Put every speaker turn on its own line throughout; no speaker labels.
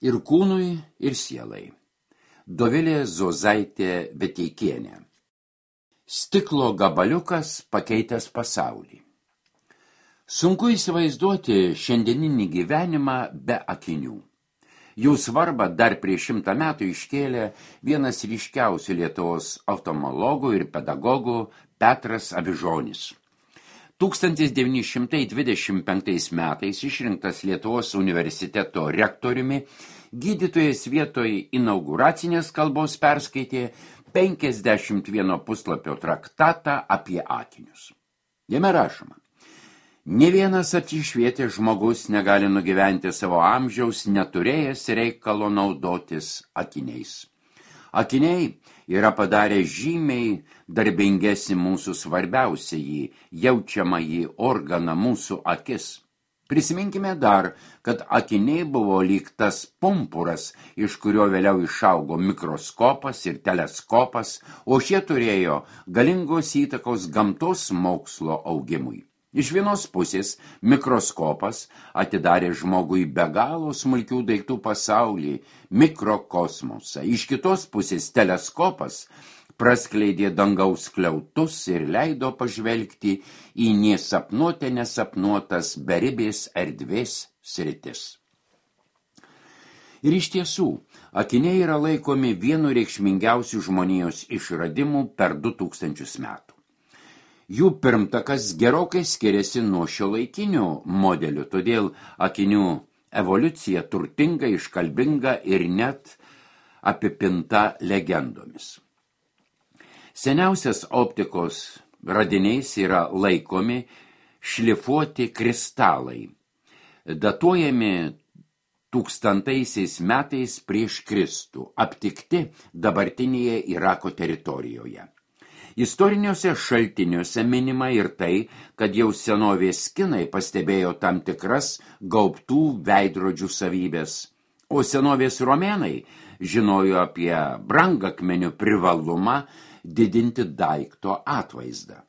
ir kūnui, ir sielai. Dovilė Zozaitė Veteikienė. Stiklo gabaliukas pakeitęs pasaulį. Sunku įsivaizduoti šiandieninį gyvenimą be akinių. Jų svarbą dar prieš 100 metų iškėlė vienas ryškiausių Lietuvos oftalmologų ir pedagogų Petras Avižonis. 1925 metais išrinktas Lietuvos universiteto rektoriumi, gydytojas vietoj inauguracinės kalbos perskaitė 51 puslapio traktatą apie akinius. Jame rašoma: nė vienas apsišvietęs žmogus negali nugyventi savo amžiaus, neturėjęs reikalo naudotis akiniais. Akiniai yra padarę žymiai darbingesnį mūsų svarbiausiąjį, jaučiamąjį organą, mūsų akis. Prisiminkime dar, kad akiniai buvo lyg tas pumpuras, iš kurio vėliau išaugo mikroskopas ir teleskopas, o šie turėjo galingos įtakos gamtos mokslo augimui. Iš vienos pusės mikroskopas atidarė žmogui be galo smulkių daiktų pasaulį, mikrokosmosą. Iš kitos pusės teleskopas praskleidė dangaus skliautus ir leido pažvelgti į nesapnuotę nesapnuotas beribės erdvės sritis. Ir iš tiesų, akiniai yra laikomi vienu reikšmingiausių žmonijos išradimų per 2000 metų. Jų pirmtakas gerokai skiriasi nuo šiuolaikinių modelių, todėl akinių evoliucija turtinga, iškalbinga ir net apipinta legendomis. Seniausias optikos radiniais yra laikomi šlifuoti kristalai, datuojami 1000 metais prieš Kristų, aptikti dabartinėje Irako teritorijoje. Istoriniuose šaltiniuose minima ir tai, kad jau senovės kinai pastebėjo tam tikras gaubtų veidrodžių savybės, o senovės romėnai žinojo apie brangakmenių privalumą didinti daikto atvaizdą.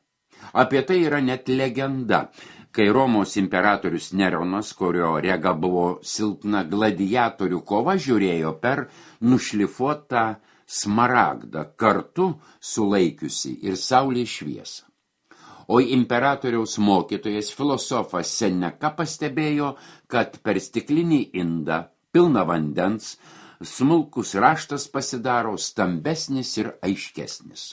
Apie tai yra net legenda, kai Romos imperatorius Neronas, kurio rega buvo silpna, gladiatorių kova žiūrėjo per nušlifuotą smaragdą, kartu sulaikiusi ir saulės šviesą. O imperatoriaus mokytojas filosofas Seneka pastebėjo, kad per stiklinį indą, pilną vandens, smulkus raštas pasidaro stambesnis ir aiškesnis.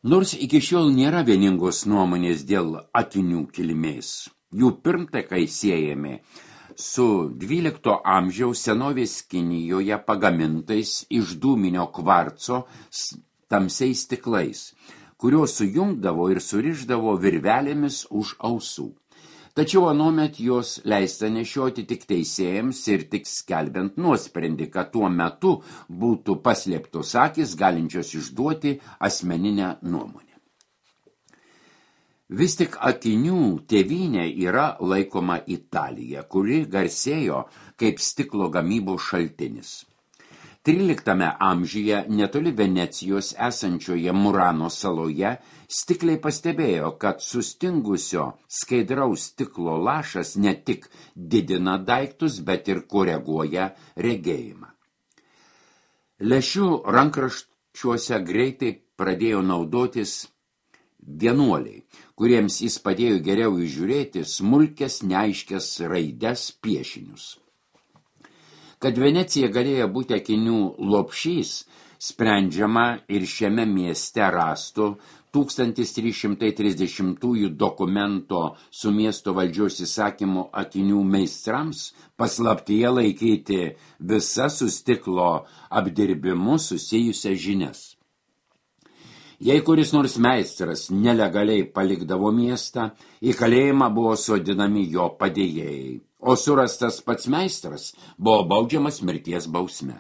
Nors iki šiol nėra vieningos nuomonės dėl akinių kilmės, jų pirmtakai siejami su 12 amžiaus senovės Kinijoje pagamintais iš dūminio kvarco tamsiais stiklais, kuriuos sujungdavo ir surišdavo virvelėmis už ausų. Tačiau anuomet jos leista nešioti tik teisėjams ir tik skelbiant nuosprendį, kad tuo metu būtų paslėptos akys, galinčios išduoti asmeninę nuomonę. Vis tik akinių tėvynė yra laikoma Italija, kuri garsėjo kaip stiklo gamybos šaltinis. 13 amžiuje netoli Venecijos esančioje Murano saloje stikliai pastebėjo, kad sustingusio skaidraus stiklo lašas ne tik didina daiktus, bet ir koreguoja regėjimą. Lęšių rankraščiuose greitai pradėjo naudotis vienuoliai, kuriems jis padėjo geriau įžiūrėti smulkes, neaiškias raides, piešinius. Kad Venecija galėjo būti akinių lopšys, sprendžiama ir šiame mieste rasto 1330 dokumento su miesto valdžios įsakymu akinių meistrams paslaptyje laikyti visas su stiklo apdirbimu susijusias žinias. Jei kuris nors meistras nelegaliai palikdavo miestą, į kalėjimą buvo sodinami jo padėjėjai, o surastas pats meistras buvo baudžiamas mirties bausme.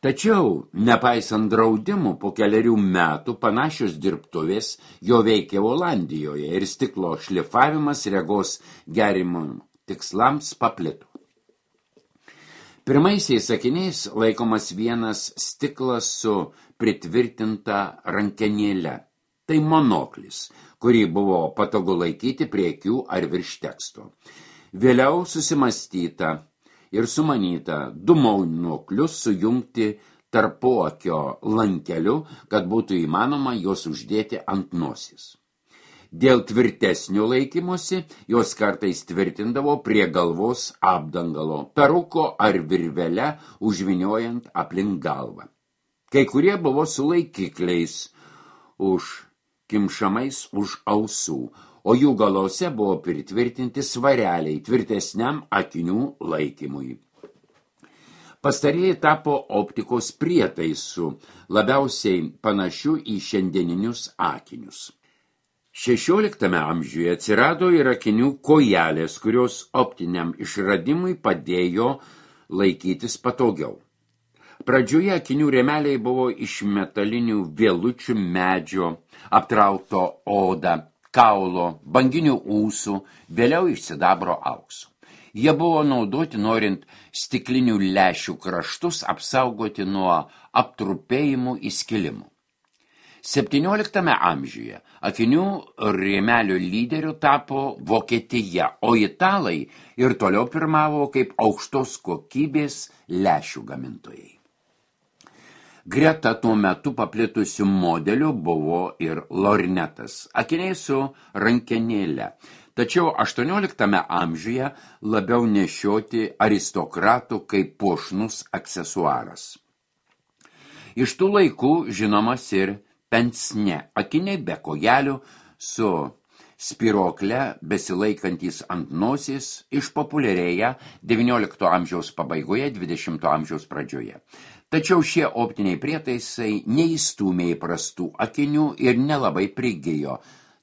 Tačiau, nepaisant draudimų, po 4 metų panašios dirbtuvės jo veikė Olandijoje ir stiklo šlifavimas regos gerimo tikslams paplito. Pirmaisiais akiniais laikomas vienas stiklas su pritvirtinta rankenėle. Tai monoklis, kurį buvo patogu laikyti prie akių ar virš teksto. Vėliau susimastyta, ir sumanyta 2 maunoklius sujungti tarpuakio lankeliu, kad būtų įmanoma juos uždėti ant nosis. Dėl tvirtesnio laikymosi jos kartais tvirtindavo prie galvos apdangalo, peruko ar virvelę užviniojant aplink galvą. Kai kurie buvo su laikikliais kimšamais už ausų, o jų galose buvo pritvirtinti svareliai tvirtesniam akinių laikymui. Pastarieji tapo optikos prietaisu, labiausiai panašiu į šiandieninius akinius. 16 amžiuje atsirado ir akinių kojelės, kurios optiniam išradimui padėjo laikytis patogiau. Pradžioje akinių rėmeliai buvo iš metalinių vielučių medžio, aptrauto oda, kaulo, banginių ūsų, vėliau iš sidabro aukso. Jie buvo naudoti norint stiklinių lęšių kraštus apsaugoti nuo aptrupėjimų įskilimų. 17 amžiuje akinių rėmelio lyderiu tapo Vokietija, o italai ir toliau pirmavo kaip aukštos kokybės lęšių gamintojai. Greta tuo metu paplitusių modelių buvo ir lornetas, akiniai su rankenėle, tačiau 18 amžiuje labiau nešioti aristokratų kaip puošnus aksesuaras. Iš tų laikų žinomas ir pensne, akiniai be kojelių su spirokle besilaikantys ant nosies išpopuliarėja 19 amžiaus pabaigoje, 20 amžiaus pradžioje. Tačiau šie optiniai prietaisai neįstūmė įprastų akinių ir nelabai prigijo,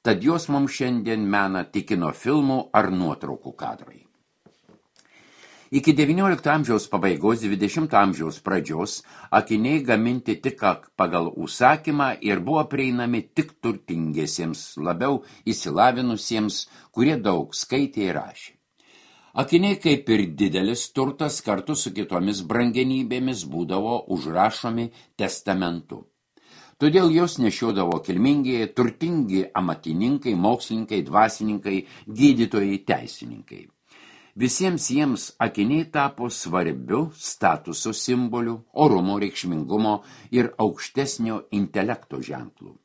tad jos mums šiandien mena tik kino filmų ar nuotraukų kadrai. Iki 19 amžiaus pabaigos, 20 amžiaus pradžios akiniai gaminti tik pagal užsakymą ir buvo prieinami tik turtingiesiems, labiau įsilavinusiems, kurie daug skaitė ir rašė. Akiniai kaip ir didelis turtas kartu su kitomis brangenybėmis būdavo užrašomi testamentu. Todėl jos nešiodavo kilmingieji, turtingi amatininkai, mokslininkai, dvasininkai, gydytojai, teisininkai. Visiems jiems akiniai tapo svarbiu statuso simboliu, orumo, reikšmingumo ir aukštesnio intelekto ženklu.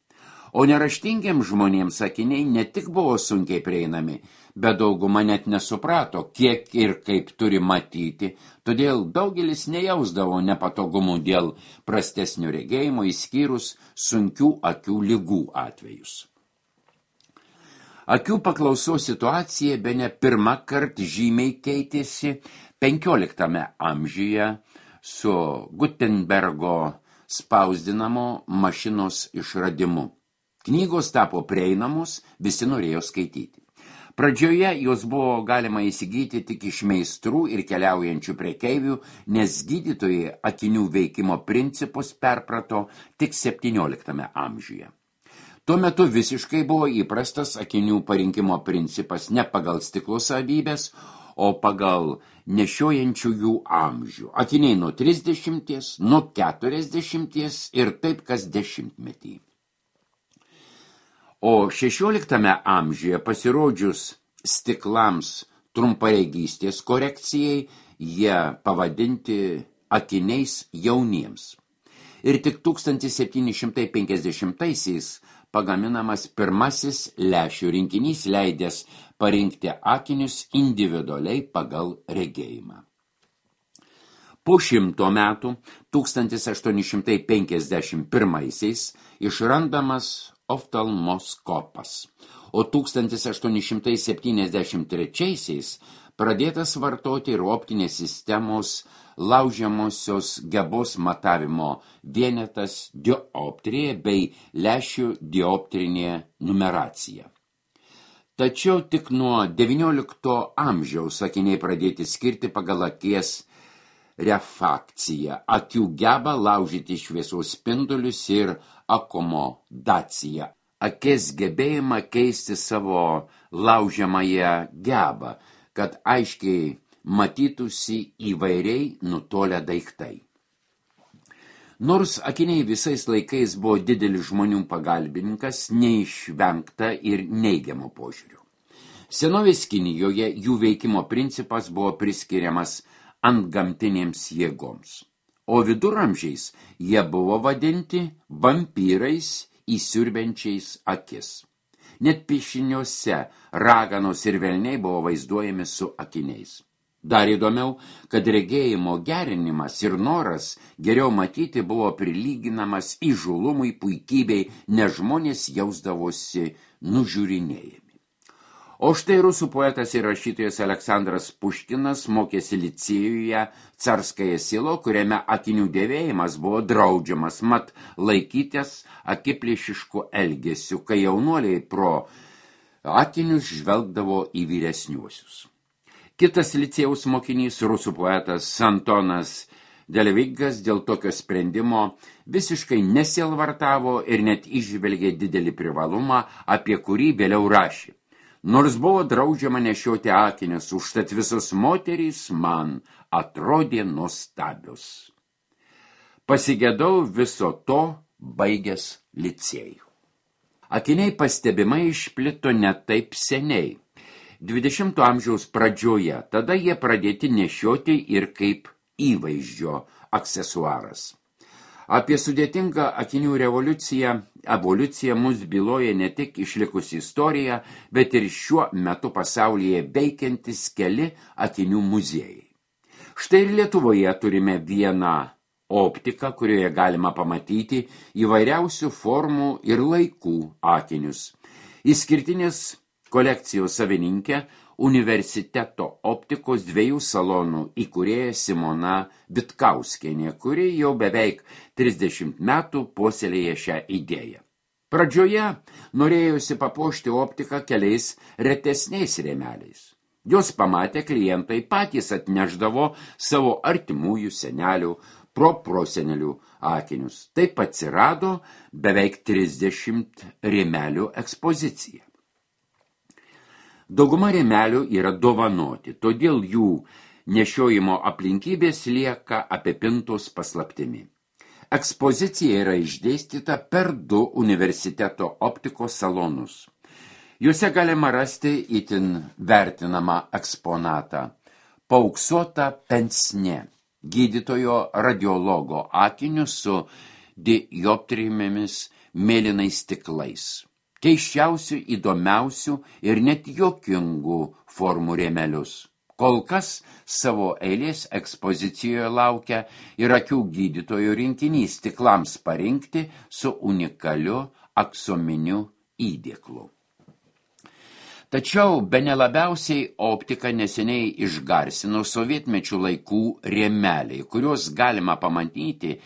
O neraštingiems žmonėms akiniai ne tik buvo sunkiai prieinami, bet dauguma net nesuprato, kiek ir kaip turi matyti, todėl daugelis nejausdavo nepatogumų dėl prastesnio regėjimo, išskyrus sunkių akių ligų atvejus. Akių paklausos situacija bene pirmą kartą žymiai keitėsi 15 amžiuje su Gutenbergo spausdinamo mašinos išradimu. Knygos tapo prieinamos, visi norėjo skaityti. Pradžioje jos buvo galima įsigyti tik iš meistrų ir keliaujančių prekeivių, nes gydytojai akinių veikimo principus perprato tik 17 amžiuje. Tuo metu visiškai buvo įprastas akinių parinkimo principas ne pagal stiklo savybės, o pagal nešiojančiųjų amžių. Akiniai nuo 30, nuo 40 ir taip kas dešimtmetį. O 16 amžiuje pasirodžius stiklams trumparegystės korekcijai, jie pavadinti akiniais jauniems. Ir tik 1750-aisiais pagaminamas pirmasis lęšių rinkinys leidęs parinkti akinius individualiai pagal regėjimą. Po 100 metų, 1851-aisiais, išrandamas oftalmoskopas, o 1873-aisiais pradėtas vartoti ir optinės sistemos laužiamosios gebos matavimo vienetas dioptrija bei lęšių dioptrinė numeracija. Tačiau tik nuo 19 amžiaus akiniai pradėti skirti pagal akies refrakciją, akių gebą laužyti šviesos spindulius ir akomodaciją, akies gebėjimą keisti savo laužiamąją gebą, kad aiškiai matytųsi įvairiai nutolę daiktai. Nors akiniai visais laikais buvo didelis žmonių pagalbininkas, neišvengta ir neigiamo požiūrio. Senovės Kinijoje jų veikimo principas buvo priskiriamas antgamtinėms jėgoms. O viduramžiais jie buvo vadinti vampyrais įsiurbiančiais akis. Net piešiniuose raganos ir velniai buvo vaizduojami su akiniais. Dar įdomiau, kad regėjimo gerinimas ir noras geriau matyti buvo prilyginamas įžūlumui, puikybei, nes žmonės jausdavosi nužiūrinėjami. O štai rusų poetas ir rašytojas Aleksandras Puškinas mokėsi licėjuje Carskaja Selo, kuriame akinių dėvėjimas buvo draudžiamas, mat laikytis akiplėšiškų elgesių, kai jaunuoliai pro akinius žvelgdavo į vyresniuosius. Kitas licėjaus mokinys, rusų poetas Antonas Delvigas, dėl tokio sprendimo visiškai nesielvartavo ir net įžvelgė didelį privalumą, apie kurį vėliau rašė. Nors buvo draudžiama nešioti akinius, užtat visos moterys man atrodė nuostabios. Pasigedau viso to baigęs licėjų. Akiniai pastebimai išplito ne taip seniai. 20 amžiaus pradžioje, tada jie pradėti nešioti ir kaip įvaizdžio aksesuaras. Apie sudėtingą akinių evoliuciją mus byloja ne tik išlikusi istorija, bet ir šiuo metu pasaulyje veikiantis keli akinių muziejai. Štai ir Lietuvoje turime vieną optiką, kurioje galima pamatyti įvairiausių formų ir laikų akinius. Išskirtinės kolekcijos savininkė, universiteto optikos 2 salonų įkūrėja Simona Vitkauskienė, kuri jau beveik 30 metų puoselėja šią idėją. Pradžioje norėjusi papuošti optiką keliais retesniais rėmeliais. Jos pamatę klientai patys atnešdavo savo artimųjų senelių, prosenelių akinius. Taip atsirado beveik 30 rėmelių ekspozicija. Dauguma rėmelių yra dovanoti, todėl jų nešiojimo aplinkybės lieka apipintos paslaptimi. Ekspozicija yra išdėstyta per 2 universiteto optikos salonus. Juose galima rasti itin vertinamą eksponatą – paauksuotą pensnė, gydytojo radiologo akinius su dioptrijėmis mėlynais stiklais. Keiščiausių, įdomiausių ir net juokingų formų rėmelius. Kol kas savo eilės ekspozicijoje laukia ir akių gydytojų rinkinys stiklams parinkti su unikaliu aksominiu įdėklu. Tačiau bene labiausiai optiką neseniai išgarsino sovietmečių laikų rėmeliai, kuriuos galima pamatyti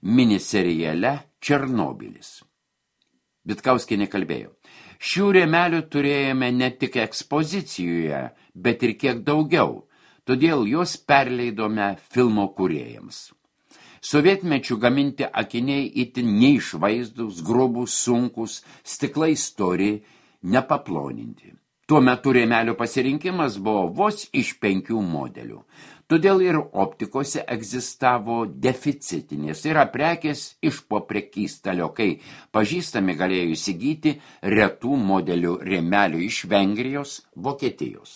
miniseriale Černobylis. Vitkauskienė kalbėjo. Šių rėmelių turėjome ne tik ekspozicijoje, bet ir kiek daugiau, todėl juos perleidome filmo kūrėjams. Sovietmečių gaminti akiniai itin neišvaizdūs, grubūs, sunkus, stiklai stori, nepaploninti. Tuo metu rėmelių pasirinkimas buvo vos iš 5 modelių. Todėl ir optikose egzistavo deficitinės, tai yra prekės iš po prekystalio, kai pažįstami galėjo įsigyti retų modelių rėmelių iš Vengrijos, Vokietijos.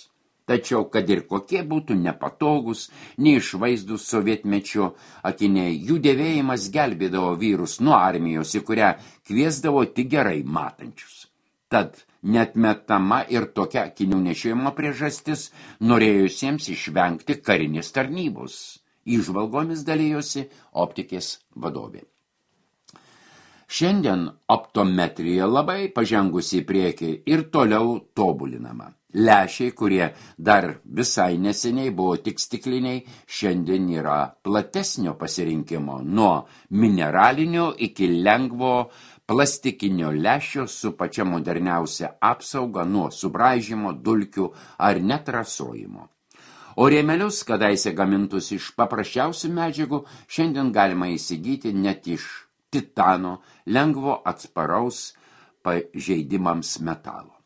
Tačiau, kad ir kokie būtų nepatogus, neišvaizdūs sovietmečio akiniai, jų dėvėjimas gelbėdavo vyrus nuo armijos, į kurią kviesdavo tik gerai matančius. Tad neatmetama ir tokia akinių nešiojimo priežastis norėjusiems išvengti karinės tarnybos. Įžvalgomis dalyjosi optikės vadovė. Šiandien optometrija labai pažengusi į priekį ir toliau tobulinama. Lęšiai, kurie dar visai neseniai buvo tik stikliniai, šiandien yra platesnio pasirinkimo nuo mineralinio iki lengvo plastikinio lęšio su pačia moderniausia apsauga nuo subraižymo, dulkių ar net rasojimo. O rėmelius, kadaise gamintus iš paprasčiausių medžiagų, šiandien galima įsigyti net iš titano, lengvo atsparaus pažeidimams metalo.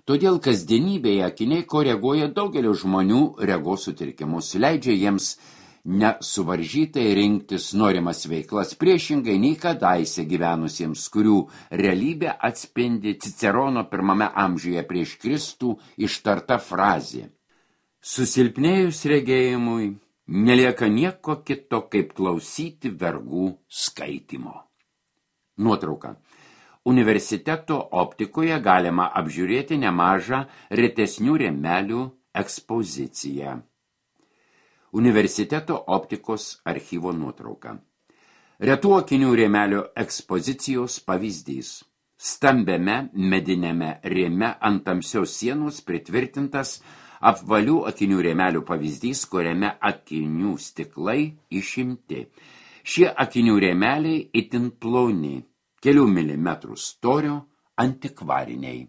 Todėl kasdienybėje akiniai koreguoja daugelio žmonių regos sutrikimus, leidžia jiems nesuvaržytai rinktis norimas veiklas priešingai nei kadaise gyvenusiems, kurių realybė atspindi Cicerono 1 amžiuje prieš Kristų ištarta frazė. Susilpnėjus regėjimui, Nelieka nieko kito, kaip klausyti vergų skaitymo. Nuotrauka. Universiteto optikoje galima apžiūrėti nemažą retesnių rėmelių ekspoziciją. Universiteto optikos archyvo nuotrauka. Retų akinių rėmelio ekspozicijos pavyzdys. Stambiame medinėme rėme ant tamsios sienos pritvirtintas apvalių akinių rėmelių pavyzdys, kuriame akinių stiklai išimti. Šie akinių rėmeliai itin ploni, kelių milimetrų storio, antikvariniai.